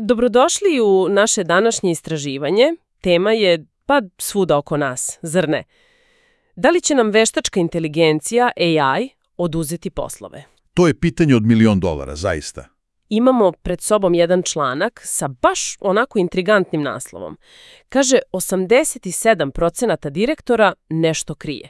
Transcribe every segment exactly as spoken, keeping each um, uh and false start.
Dobrodošli u naše današnje istraživanje. Tema je, pa, svuda oko nas, zar ne? Da li će nam veštačka inteligencija, A I, oduzeti poslove? To je pitanje od milion dolara, zaista. Imamo pred sobom jedan članak sa baš onako intrigantnim naslovom. Kaže, osamdeset sedam procenata direktora nešto krije.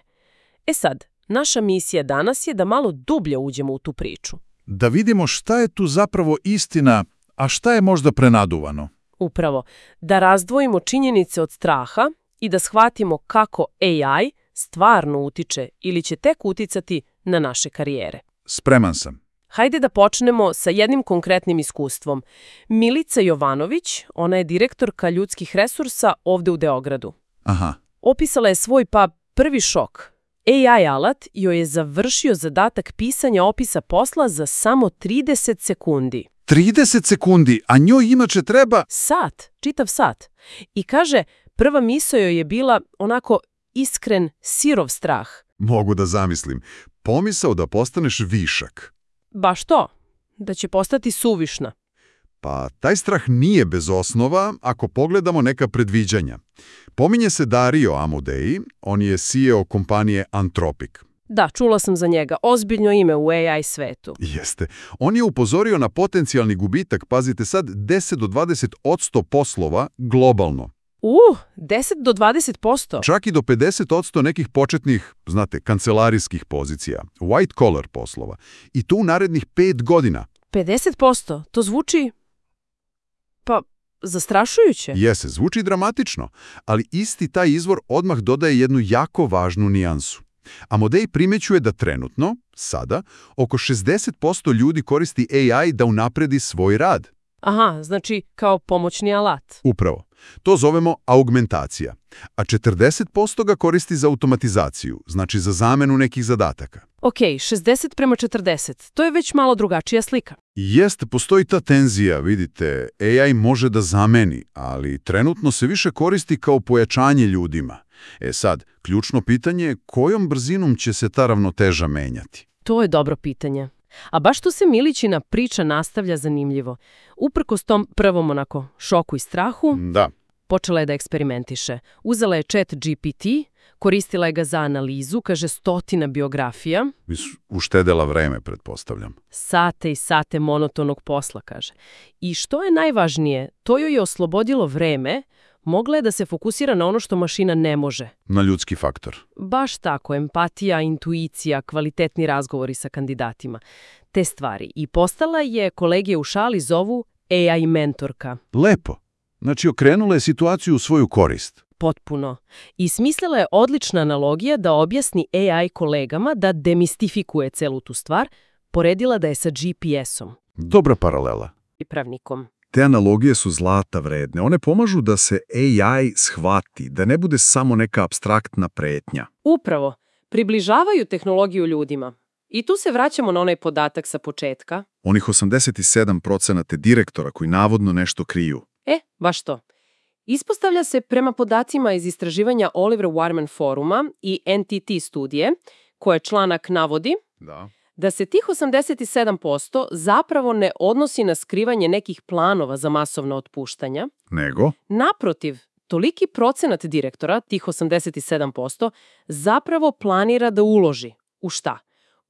E sad, naša misija danas je da malo dublje uđemo u tu priču. Da vidimo šta je tu zapravo istina, a šta je možda prenaduvano. Upravo, da razdvojimo činjenice od straha i da shvatimo kako A I stvarno utiče ili će tek uticati na naše karijere. Spreman sam. Hajde da počnemo sa jednim konkretnim iskustvom. Milica Jovanović, ona je direktorka ljudskih resursa ovde u Beogradu. Aha. Opisala je svoj, pa, prvi šok. A I alat joj je završio zadatak pisanja opisa posla za samo trideset sekundi. trideset sekundi, a njoj inače treba... Sat, čitav sat. I kaže, prva misao joj je bila onako iskren, sirov strah. Mogu da zamislim. Pomisao da postaneš višak. Baš to, da će postati suvišna. Pa taj strah nije bez osnova ako pogledamo neka predviđanja. Pominje se Dario Amodei, on je C E O kompanije Anthropic. Da, čula sam za njega. Ozbiljno ime u A I svetu. Jeste. On je upozorio na potencijalni gubitak, pazite sad, deset do dvadeset posto poslova globalno. Uh, deset do dvadeset posto? Čak i do pedeset posto nekih početnih, znate, kancelarijskih pozicija, white collar poslova. I to u narednih pet godina. pedeset posto? To zvuči, pa, zastrašujuće. Jese, zvuči dramatično, ali isti taj izvor odmah dodaje jednu jako važnu nijansu. Amodei primećuje da trenutno, sada, oko šezdeset posto ljudi koristi A I da unapredi svoj rad. Aha, znači kao pomoćni alat. Upravo. To zovemo augmentacija, a četrdeset posto ga koristi za automatizaciju, znači za zamenu nekih zadataka. Ok, šezdeset prema četrdeset, to je već malo drugačija slika. Jeste, postoji ta tenzija, vidite, A I može da zameni, ali trenutno se više koristi kao pojačanje ljudima. E sad, ključno pitanje je kojom brzinom će se ta ravnoteža menjati? To je dobro pitanje. A baš tu se Milićina priča nastavlja zanimljivo. Uprkos tom prvom onako šoku i strahu, Da. počela je da eksperimentiše. Uzela je Chat G P T, koristila je ga za analizu, kaže stotina biografija. Uštedela vreme, pretpostavljam. Sate i sate monotonog posla, kaže. I što je najvažnije, to joj je oslobodilo vreme, mogla je da se fokusira na ono što mašina ne može. Na ljudski faktor. Baš tako, empatija, intuicija, kvalitetni razgovori sa kandidatima. Te stvari. I postala je, kolege u šali zovu A I mentorka. Lepo. Znači, okrenula je situaciju u svoju korist. Potpuno. I smislila je odlična analogija da objasni A I kolegama da demistifikuje celu tu stvar, poredila da je sa G P S-om. Dobra paralela. I pravnikom. Te analogije su zlata vredne. One pomažu da se A I shvati, da ne bude samo neka apstraktna pretnja. Upravo. Približavaju tehnologiju ljudima. I tu se vraćamo na onaj podatak sa početka. Onih osamdeset sedam procenata direktora koji navodno nešto kriju. E, baš to. Ispostavlja se prema podacima iz istraživanja Oliver Wyman foruma i N T T studije, koje članak navodi, Da. da se tih osamdeset sedam posto zapravo ne odnosi na skrivanje nekih planova za masovna otpuštanja. Nego? Naprotiv, toliki procenat direktora, tih osamdeset sedam posto, zapravo planira da uloži. U šta?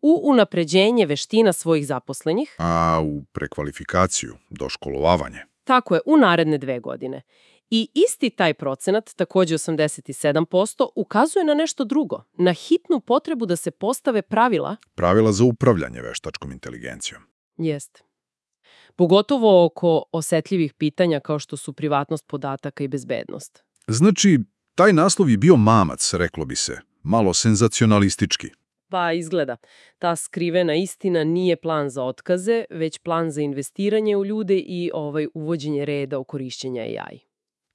U unapređenje veština svojih zaposlenih. A u prekvalifikaciju, doškolovavanje. Tako je, u naredne dve godine. I isti taj procenat, također osamdeset sedam posto, ukazuje na nešto drugo, na hitnu potrebu da se postave pravila. Pravila za upravljanje veštačkom inteligencijom. Jeste. Pogotovo oko osetljivih pitanja kao što su privatnost podataka i bezbednost. Znači, taj naslov je bio mamac, reklo bi se. Malo senzacionalistički. Pa izgleda, ta skrivena istina nije plan za otkaze, već plan za investiranje u ljude i ovaj uvođenje reda u korišćenje A I.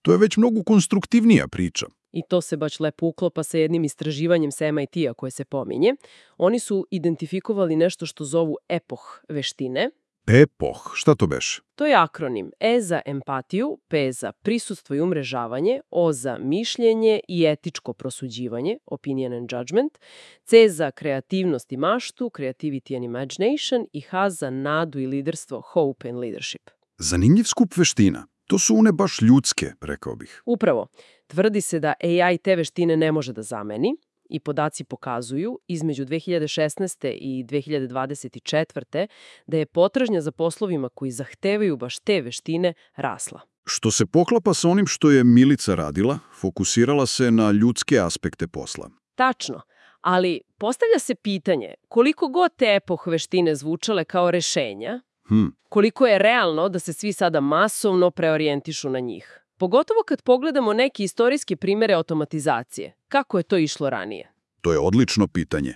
To je već mnogo konstruktivnija priča. I to se baš lepo uklopa sa jednim istraživanjem sa M I T-a koje se pominje. Oni su identifikovali nešto što zovu epoh veštine. Epoh, šta to beš? To je akronim E za empatiju, P za prisustvo i umrežavanje, O za mišljenje i etičko prosuđivanje, opinion and judgment, C za kreativnost i maštu, creativity and imagination i H za nadu i liderstvo, hope and leadership. Zanimljiv skup veština. To su one baš ljudske, rekao bih. Upravo. Tvrdi se da A I te veštine ne može da zameni i podaci pokazuju između dve hiljade šesnaeste. i dve hiljade dvadeset četvrte. da je potražnja za poslovima koji zahtevaju baš te veštine rasla. Što se poklapa sa onim što je Milica radila, fokusirala se na ljudske aspekte posla. Tačno, ali postavlja se pitanje koliko god te epoh veštine zvučale kao rešenja, Hm. koliko je realno da se svi sada masovno preorijentišu na njih. Pogotovo kad pogledamo neke istorijske primere automatizacije. Kako je to išlo ranije? To je odlično pitanje.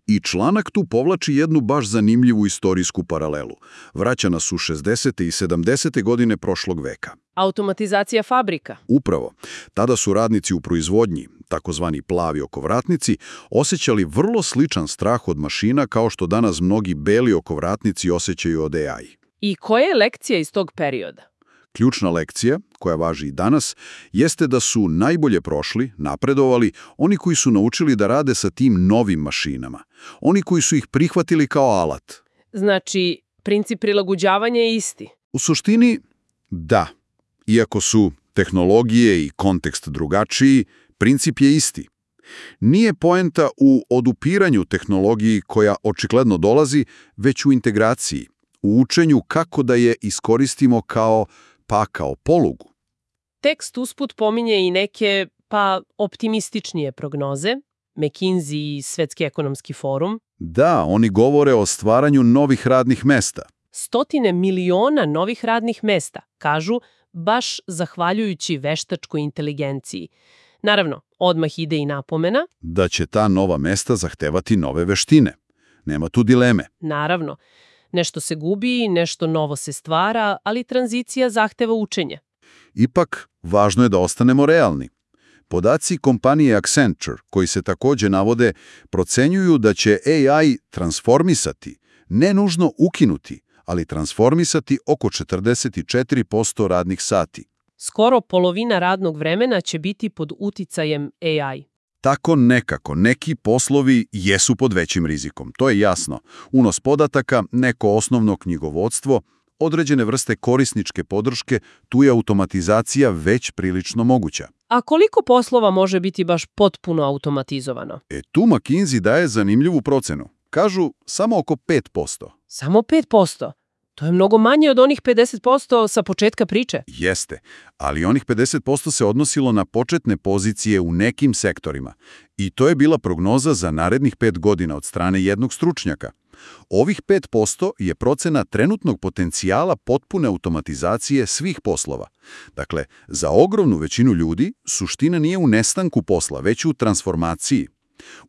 I članak tu povlači jednu baš zanimljivu istorijsku paralelu. Vraća nas u šezdesete i sedamdesete godine prošlog veka. Automatizacija fabrika. Upravo. Tada su radnici u proizvodnji, takozvani plavi okovratnici, osjećali vrlo sličan strah od mašina kao što danas mnogi beli okovratnici osjećaju od A I. I koja je lekcija iz tog perioda? Ključna lekcija, koja važi i danas, jeste da su najbolje prošli, napredovali, oni koji su naučili da rade sa tim novim mašinama. Oni koji su ih prihvatili kao alat. Znači, princip prilagođavanja je isti. U suštini, da. Iako su tehnologije i kontekst drugačiji, princip je isti. Nije poenta u odupiranju tehnologiji koja očigledno dolazi, već u integraciji, u učenju kako da je iskoristimo kao pa kao polugu. Tekst usput pominje i neke, pa, optimističnije prognoze, McKinsey i Svetski ekonomski forum. Da, oni govore o stvaranju novih radnih mesta. Stotine miliona novih radnih mesta, kažu, baš zahvaljujući veštačkoj inteligenciji. Naravno, odmah ide i napomena. Da će ta nova mesta zahtevati nove veštine. Nema tu dileme. Naravno, nešto se gubi, nešto novo se stvara, ali tranzicija zahteva učenje. Ipak, važno je da ostanemo realni. Podaci kompanije Accenture, koji se također navode, procenjuju da će A I transformisati, ne nužno ukinuti, ali transformisati oko četrdeset četiri posto radnih sati. Skoro polovina radnog vremena će biti pod uticajem A I. Tako nekako, neki poslovi jesu pod većim rizikom, to je jasno. Unos podataka, neko osnovno knjigovodstvo, određene vrste korisničke podrške, tu je automatizacija već prilično moguća. A koliko poslova može biti baš potpuno automatizovano? E tu McKinsey daje zanimljivu procenu. Kažu samo oko pet posto. Samo pet posto? To je mnogo manje od onih pedeset posto sa početka priče. Jeste, ali onih pedeset posto se odnosilo na početne pozicije u nekim sektorima. I to je bila prognoza za narednih pet godina od strane jednog stručnjaka. Ovih pet posto je procena trenutnog potencijala potpune automatizacije svih poslova. Dakle, za ogromnu većinu ljudi suština nije u nestanku posla, već u transformaciji,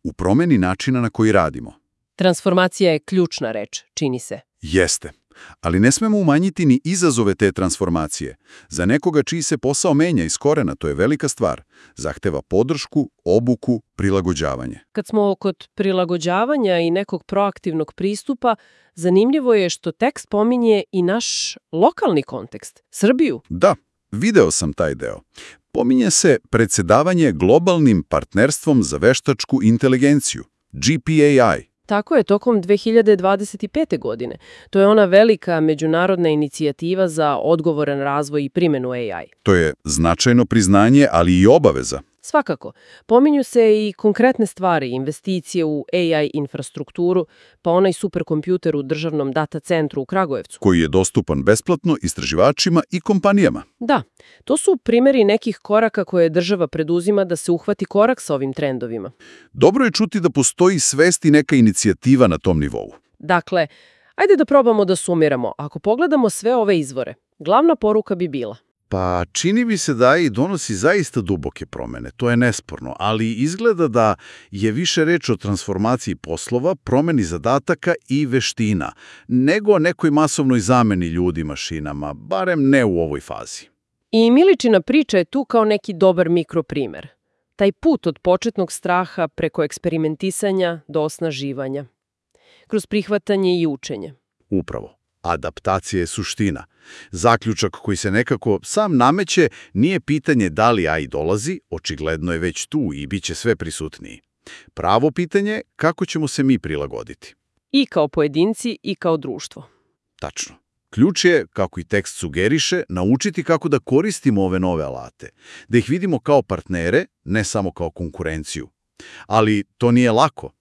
u promjeni načina na koji radimo. Transformacija je ključna reč, čini se. Jeste. Ali ne smemo umanjiti ni izazove te transformacije. Za nekoga čiji se posao menja iz korena, to je velika stvar. Zahteva podršku, obuku, prilagođavanje. Kad smo kod prilagođavanja i nekog proaktivnog pristupa, zanimljivo je što tekst pominje i naš lokalni kontekst, Srbiju. Da, video sam taj deo. Pominje se predsjedavanje globalnim partnerstvom za veštačku inteligenciju, G P A I. Tako je, tokom dve hiljade dvadeset pete. godine. To je ona velika međunarodna inicijativa za odgovoran razvoj i primjenu A I. To je značajno priznanje, ali i obaveza. Svakako. Pominju se i konkretne stvari, investicije u A I infrastrukturu, pa onaj superkompjuter u državnom data centru u Kragujevcu. Koji je dostupan besplatno istraživačima i kompanijama. Da, to su primjeri nekih koraka koje država preduzima da se uhvati korak sa ovim trendovima. Dobro je čuti da postoji svest i neka inicijativa na tom nivou. Dakle, ajde da probamo da sumiramo. Ako pogledamo sve ove izvore, glavna poruka bi bila: Pa čini mi se da i donosi zaista duboke promjene, to je nesporno, ali izgleda da je više reč o transformaciji poslova, promjeni zadataka i veština, nego nekoj masovnoj zameni ljudi mašinama, barem ne u ovoj fazi. I Miličina priča je tu kao neki dobar mikroprimer. Taj put od početnog straha preko eksperimentisanja do osnaživanja. Kroz prihvatanje i učenje. Upravo. Adaptacija je suština. Zaključak koji se nekako sam nameće nije pitanje da li A I dolazi, očigledno je već tu i bit će sve prisutniji. Pravo pitanje kako ćemo se mi prilagoditi. I kao pojedinci i kao društvo. Tačno. Ključ je, kako i tekst sugeriše, naučiti kako da koristimo ove nove alate, da ih vidimo kao partnere, ne samo kao konkurenciju. Ali to nije lako.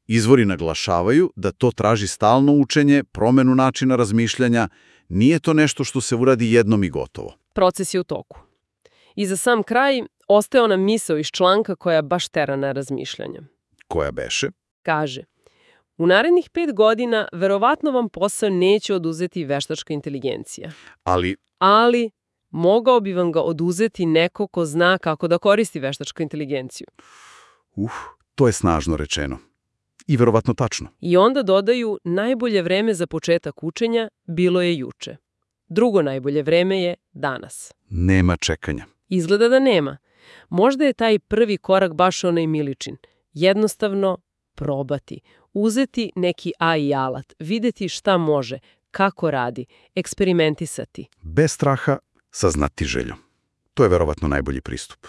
Izvori naglašavaju da to traži stalno učenje, promenu načina razmišljanja, nije to nešto što se uradi jednom i gotovo. Proces je u toku. I za sam kraj ostaje ona misao iz članka koja baš tera na razmišljanje. Koja beše? Kaže, u narednih pet godina verovatno vam posao neće oduzeti veštačka inteligencija. Ali, Ali mogao bi vam ga oduzeti neko ko zna kako da koristi veštačku inteligenciju. uh, to je snažno rečeno. I verovatno tačno. I onda dodaju, najbolje vreme za početak učenja bilo je juče. Drugo najbolje vreme je danas. Nema čekanja. Izgleda da nema. Možda je taj prvi korak baš onaj Miličin. Jednostavno probati. Uzeti neki A I alat, videti šta može, kako radi, eksperimentisati. Bez straha, sa znatiželjom. To je verovatno najbolji pristup.